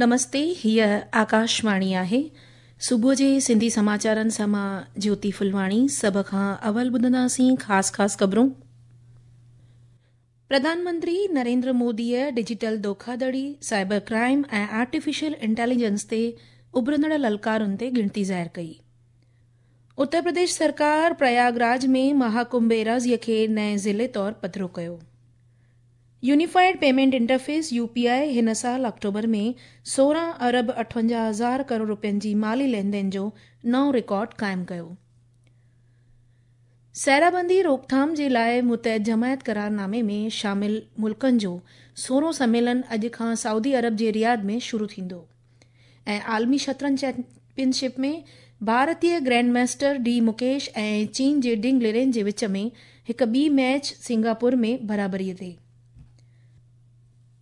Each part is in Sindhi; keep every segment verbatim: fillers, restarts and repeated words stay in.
نمستي، هيء آڪاشواڻي آهي. صبح جي سنڌي سماچارن سان مان جيوتي ڦلواڻي. سڀ کان اول ٻڌنداسين خاص خاص خبرون. پرڌان منتري نريندر موديء ڊجيٽل ڌوکاڌڙي، سائبر ڪرائيم ۽ آرٽيفيشل انٽيليجنس تي اڀرندڙ للڪارن تي ڳڻتي ظاهر ڪئي. اتر پرديش سرڪار پرياگراج ۾ مهاڪنڀ ايراضيء کي نئين ضلعي طور پڌرو ڪيو. Unified payment interface U P I هن سال آڪٽوبر ۾ سورهن ارب اٺونجاهه هزار ڪروڙ رپين جي مالي لين دين جو نئون رڪارڊ قائم ڪيو. سيرابندي روڪٿام جي لاءِ متحد جماعت قرارنامي ۾ شامل ملڪن جو سورهون سميلن اڄ کان سعودي عرب جي رياض ۾ شروع ٿيندو. ۽ عالمي شطرنج چيمپئن شپ ۾ ڀارتي گرينڊ ماسٽر ڊي مڪيش ۽ چين جي ڊنگ لرين جي وچ ۾ هڪ ٻي ميچ سنگاپور ۾ برابريءَ تي.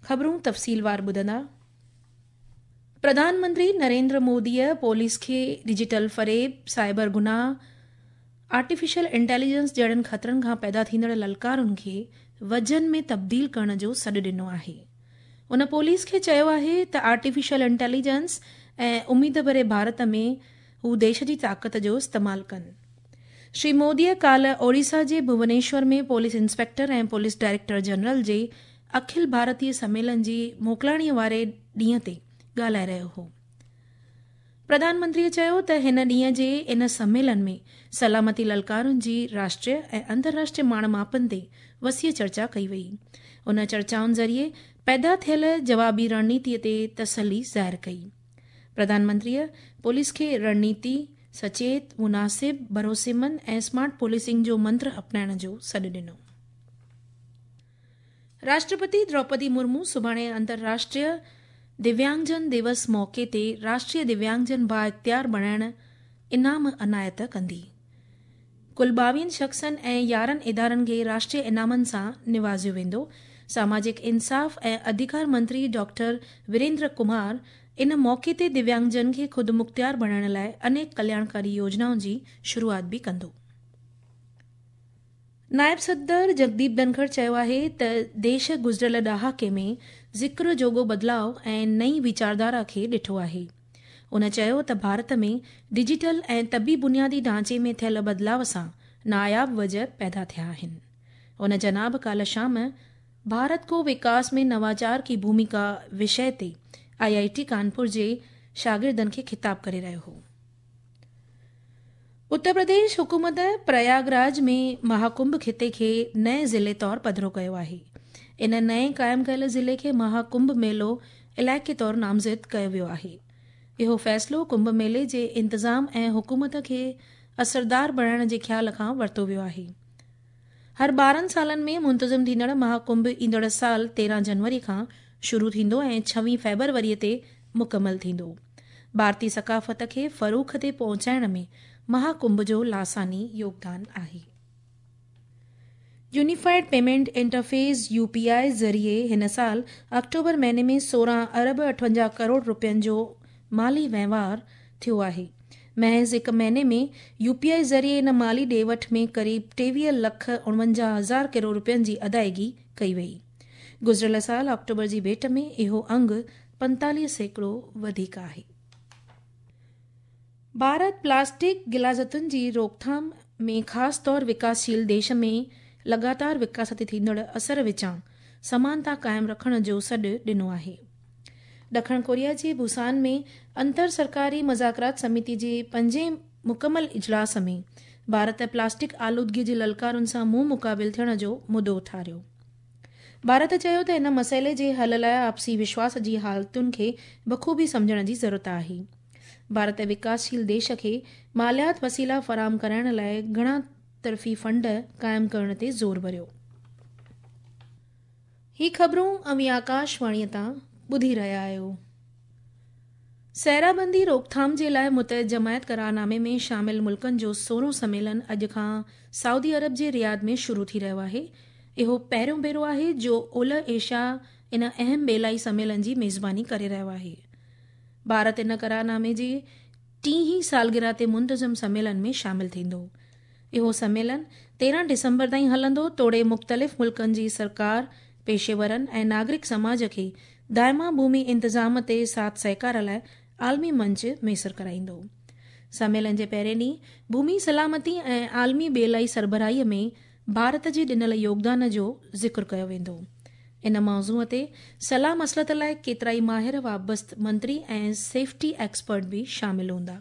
خبرون تفصيلوار ٻڌندا. پرڌان منتري نريندر موديء پوليس کي ڊجيٽل فريب، سائبر گناهه، آرٽيفيشل انٽيليجنس جهڙن خطرن کان پيدا ٿيندڙ للڪارن کي وجهن ۾ تبديل ڪرڻ جو سڏ ڏنو آهي. ان پوليس کي چيو آهي ته آرٽيفيشل انٽيليجنس ۽ اميد ڀري ڀارت ۾ هو ديش جي طاقت جو استعمال ڪن. شري موديء ڪالهه اوڙيسا جي Bhubaneswar ۾ police inspector ۽ police director general جي اکل ڀارتيه سميلن جي موڪلاڻيء واري ڏينهن تي ڳالهائي رهيو هو. پرڌان منتريءَ چيو ته هن ڏينهن جي ان سميلن ۾ سلامتي للڪارن جي راشٽريه ۽ انترراشٽريه ماڻ ماپن تي وسيع چرچا ڪئي وئي. ان چرچائن ذريعي پيدا ٿيل جوابي رڻنيتيءَ تي تسلي ظاهر ڪئي. پرڌان منتريءَ پوليس کي رڻنيتي، سچيت، مناسب، ڀروسيمند ۽ اسمارٽ پوليسنگ جو منتر اپنائڻ جو سڏ ڏنو. راشٽرپتي دروپدي مرمو سڀاڻي انترراشٽريه دويانگجن دوس موقعي تي راشٽريه دويانگجن بااختيار بڻائڻ انعام عنايت ڪندي. ڪل ٻاويهن شخصن ۽ يارهن ادارن کي راشٽريه انعامن سان نوازيو ويندو. ساماجڪ انصاف ۽ اڌڪار منتري ڊاڪٽر ويريندر ڪمار ان موقعي تي دويانگجن کي خود مختيار بڻائڻ لاءِ انيڪ ڪلياڻڪاري يوجنائن جي شروعات به ڪندو. نائب صدر جگديپ ڌنکڙ چيو آهي ته ديش گذريل ڏهاڪي ۾ ذڪر جوڳو بدلاءُ ۽ نئين ويچارڌارا کي ڏٺو آهي. ان چيو ته ڀارت ۾ ڊجيٽل ۽ طبي بنيادي ڍانچي ۾ ٿيل بدلاءُ سان ناياب وجهه پيدا ٿيا آهن. ان جناب ڪالهه شام ڀارت ڪو وڪاس ۾ نواچار ڪي ڀومڪا وشي تي I I ٽي ڪانپور جي شاگردن کي خطاب ڪري رهيو هو. اتر پرديش حڪومت پرياگراج ۾ مهاڪنڀ خطي کي نئين ضلعي طور پڌرو ڪيو آهي. ان نئين قائم ڪيل ضلعي کي مهاڪنڀ ميلو علائقي طور نامزد ڪيو ويو آهي. اهو فيصلو ڪنڀ ميلي جي انتظام ۽ حڪومت کي اثردار بڻائڻ جي خيال کان ورتو ويو آهي. هر ٻارهن سالن ۾ منتظم ٿيندڙ مهاڪنڀ ايندڙ سال تيرهن جنوري کان شروع ٿيندو ۽ ڇويهه فيبروريءَ تي مڪمل ٿيندو. ڀارتي ثقافت کي فروغ تي پهچائڻ ۾ مهاڪنڀ جو لاثاني يوگدان آهي. Unified payment interface U P I ذريعي هن سال آڪٽوبر مهيني ۾ سورهن ارب اٺونجاهه ڪروڙ رپين جو مالي وهنوار ٿيو آهي. محض هڪ مهيني ۾ يو پي I ذريعي ان مالي ڏي وٺ ۾ قريب ٽيويهه لک اڻونجاهه هزار ڪروڙ رپين جي ادائگي ڪئي وئي. گذريل سال آڪٽوبر جي ڀيٽ ۾ اهو انگ پنتاليهه سيڪڙو وڌيڪ آهي. ڀارت پلاسٽڪ غلاظتن جي روڪٿام ۾ خاص طور وڪاسشيل ديش ۾ لڳاتار وڪاس تي ٿيندڙ اثر وچان سمانتا قائم رکڻ جو سڏ ڏنو آهي. ڏکڻ ڪوريا جي بوسان ۾ انتر سرڪاري مذاڪرات سميتي جي پنجين مڪمل اجلاس ۾ ڀارت پلاسٽڪ آلودگي جي للڪارن سان منهن مقابل ٿيڻ جو مدو اٿاريو. ڀارت چيو ته ان مسئلي جي حل لاءِ آپسي وشواس جي حالتن کي بخوبي سمجهڻ جي ضرورت آهي. ڀارت وڪاسشيل ديش کي ماليات وسيلا فراهم ڪرائڻ لاءِ گهڻا طرفي فنڊ قائم ڪرڻ تي زور ڀريو. هي خبرون اوهين آڪاشواڻيءَ تان ٻڌي رهيا آهيو. سيرابندي روڪٿام جي لاءِ متحد جماعت قرارنامي ۾ شامل ملڪن جو سورهون سميلن اڄ کان سعودي عرب جي رياض ۾ شروع ٿي رهيو آهي. اهو پهريون ڀيرو آهي جو اولهه ايشيا ان اهم ٻيلائي سميلن جي ميزباني ڪري رهيو آهي. ڀارت ان قرارنامي جي ٽيهين سالگرهه تي منتظم سميلن ۾ شامل ٿيندو. اهو سميلن تيرهن ڊسمبر تائين هلندو توڙي مختلف ملڪن جي سرڪار، پيشيورن ۽ ناگرڪ سماج کي دائما ڀومي انتظام تي ساٿ سهڪار لاءِ عالمي منچ ميسر ڪرائيندو. سميلن جي پهرين ڏينهن ڀومي سلامتي ۽ عالمي ٻيلائي سربراهيءَ ۾ ڀارت جي ڏنل يوگدان جو ذڪر ڪيو ويندو. ان موضوع تي صلاح مسلت لاءِ ڪيترائي ماهر وابسته منتري ۽ سيفٽي ايڪسپرٽ به شامل هوندا.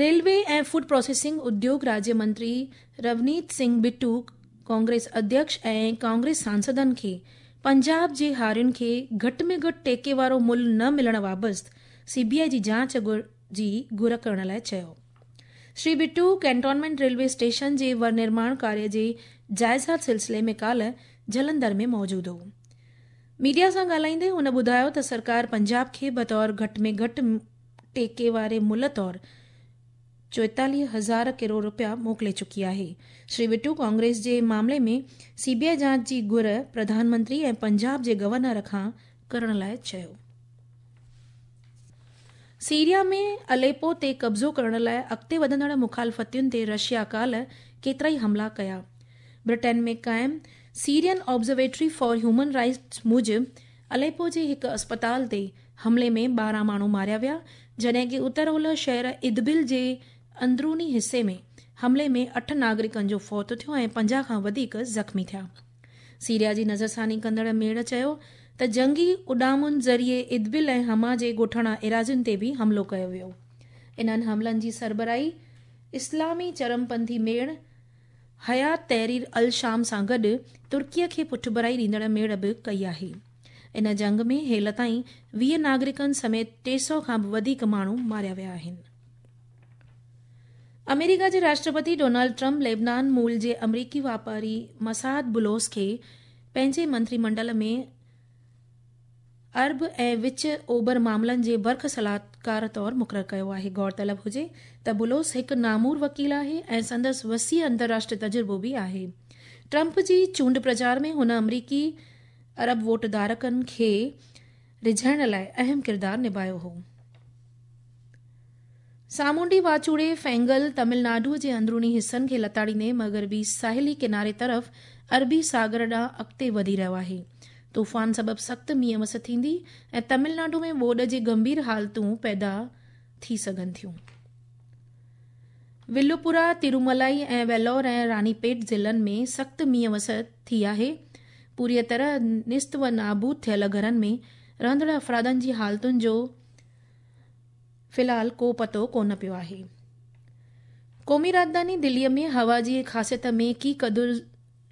ريلوي ۽ فوڊ پروسيسنگ اديوگ راجيه منتري رونيت سنگهه بٽو ڪانگريس اڌيڪش ۽ ڪانگريس سانسدن کي پنجاب جي هارين کي گهٽ ۾ گهٽ ٽيڪي وارو ملهه نه ملڻ وابسته سي بي I جي جاچ جي گهر ڪرڻ لاءِ چيو. Shri Bittu cantonment railway station جي ورنرماڻ ڪاريه جي جائزا سلسلي ۾ ڪالهه جلنڌر ۾ موجود هو. ميڊيا سان ڳالهائيندي هن ٻڌايو ته سرڪار پنجاب کي بطور گهٽ ۾ گهٽ ٽيڪي واري ملهه طور چوئيتاليهه هزار ڪروڙ رپيا موڪلي چڪي آهي. شري بٽو ڪانگريس جي معاملي ۾ سي بي I جاچ جي گهر پرڌان منتري ۽ پنجاب جي گورنر کان ڪرڻ لاءِ چيو. سيريا ۾ اليپو تي قبضو ڪرڻ لاءِ اڳتي وڌندڙ مخالفتين تي رشيا ڪالهه ڪيترائي حملا ڪيا. برٽن ۾ قائم Syrian observatory for human rights موجب اليپو جي هڪ اسپتال تي حملي ۾ ٻارهن ماڻهو ماريا ويا، جڏهن ڪه اتر اولهه شهر ادبل جي اندروني حصي ۾ حملي ۾ اٺ ناگرڪن جو فوت ٿيو ۽ پنجاهه کان وڌيڪ زخمي ٿيا. سيريا جي نظرثاني ڪندڙ ميڙ چيو ته جنگي اڏامن ذريعي ادبل ۽ حما جي ڳوٺاڻا ايراضين تي به حملو ڪيو ويو. انهن حملن جي سربراهي اسلامي چرمپنٿي ميڙ حيات تحرير ال-شام سان گڏ ترڪيءَ کي پٺڀرائي ڏيندڙ ميڙ به ڪئي آهي. ان جنگ ۾ هيل تائين ويهه ناگرڪن سميت ٽي سؤ کان به وڌيڪ ماڻهو ماريا ويا آهن. آمريڪا جي راشٽرپتي ڊونلڊ ٽرمپ ليبنان مول جي آمريڪي واپاري مسعد بلوس کي پنهنجي منتري منڊل ۾ عرب ۽ وچ اوڀر معاملن جي برک صلاحڪار طور مقرر ڪيو آهي. غور طلب هجي ته بلوس هڪ نامور وڪيل آهي ۽ سندس وسيع انترراشٽريه تجربو به آهي. ٽرمپ جي چونڊ پرچار ۾ هن آمريڪي عرب ووٽ ڌارڪن کي رجهائڻ لاءِ اهم ڪردار نڀايو هو. سامونڊي واچوڙي فينگل تامل ناڊو جي اندروني حصن کي لتاڙيندي مغربي ساحلي ڪناري طرف عربي ساگر ڏانهن اڳتي وڌي رهيو آهي. طوفان سبب سخت مينهن وس ٿيندي ۽ تامل ناڊو ۾ ٻوڏ جي گنڀير حالتون پيدا ٿي سگهن ٿيون. ولوپورا، تروملائي ۽ ويلور ۽ رانيپيٽ ضلعن ۾ سخت مينهن وس ٿي آهي. پوريءَ طرح نست و نابود ٿيل گهرن ۾ رهندڙ افرادن جي حالتن جو في الحال ڪو پتو ڪونه پيو آهي. قومي راڄڌاني دليءَ ۾ هوا جي خاصيت ۾ ڪي قدر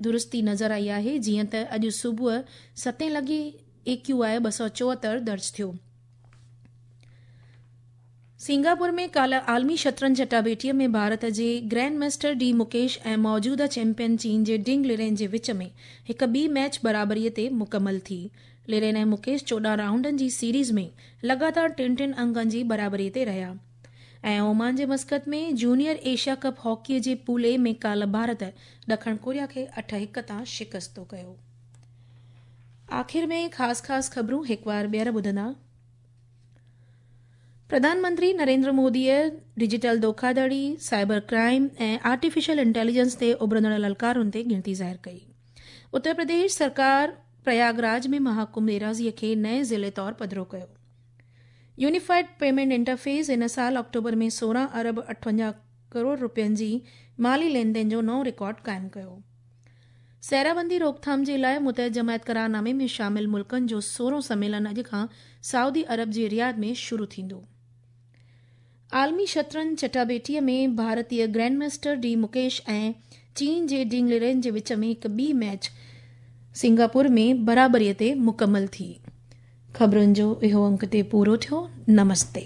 درستي نظر آئي آهي، جيئن ته اڄ صبح ستين لڳي اي ڪيو I ٻه سؤ چوهتر درج ٿيو. سنگاپور ۾ ڪالهه عالمي شطرنج چٽاڀيٽيءَ ۾ ڀارت جي گرينڊ ماسٽر ڊي مڪيش ۽ موجوده چيمپيئن چين جي ڊنگ لرين جي وچ ۾ هڪ ٻي ميچ برابريءَ تي مڪمل ٿي. لرين ۽ مڪيش چوڏهن رائونڊن جي سيريز ۾ لڳاتار ٽن ٽن انگن جي برابريءَ تي رهيا. ۽ اومان جي مسقط ۾ جونيئر ايشيا ڪپ هاڪيءَ جي پول اي ۾ ڪالهه ڀارت ڏکڻ ڪوريا کي اٺ هڪ تان شڪستو ڪيو. آخر ۾ خاص خاص خبرون هڪ بار ٻيهر ٻڌندا. پرڌان منتري نريندر موديءَ ڊجيٽل ڌوکاڌڙي، سائبر ڪرائيم ۽ آرٽيفيشل انٽيليجنس تي اڀرندڙ للڪارن تي ڳڻتي ظاهر ڪئي. اتر پرديش سرڪار پرياگراج ۾ مهاڪنڀ ايراضيءَ کي نئين ضلعي طور پڌرو ڪيو. يونيفائيڊ پيمينٽ انٽرفيس هن سال آڪٽوبر ۾ سورهن ارب اٺونجاهه ڪروڙ رپين جي مالي لين دين جو نئون رڪارڊ قائم ڪيو. سيرابندي روڪٿام جي لاءِ متحد جماعت قرارنامي ۾ شامل ملڪن جو سورهون سميلن اڄ کان سعودي عرب جي رياض ۾ شروع ٿيندو. عالمي شطرنج چٽاڀيٽيءَ ۾ ڀارتيه گرينڊ ماسٽر ڊي مڪيش ۽ چين جي ڊنگ لرين جي وچ ۾ هڪ ٻي ميچ سنگاپور ۾ برابريءَ تي مڪمل ٿي. خبرن جو اهو انڪ تي پورو ٿيو. نمستي.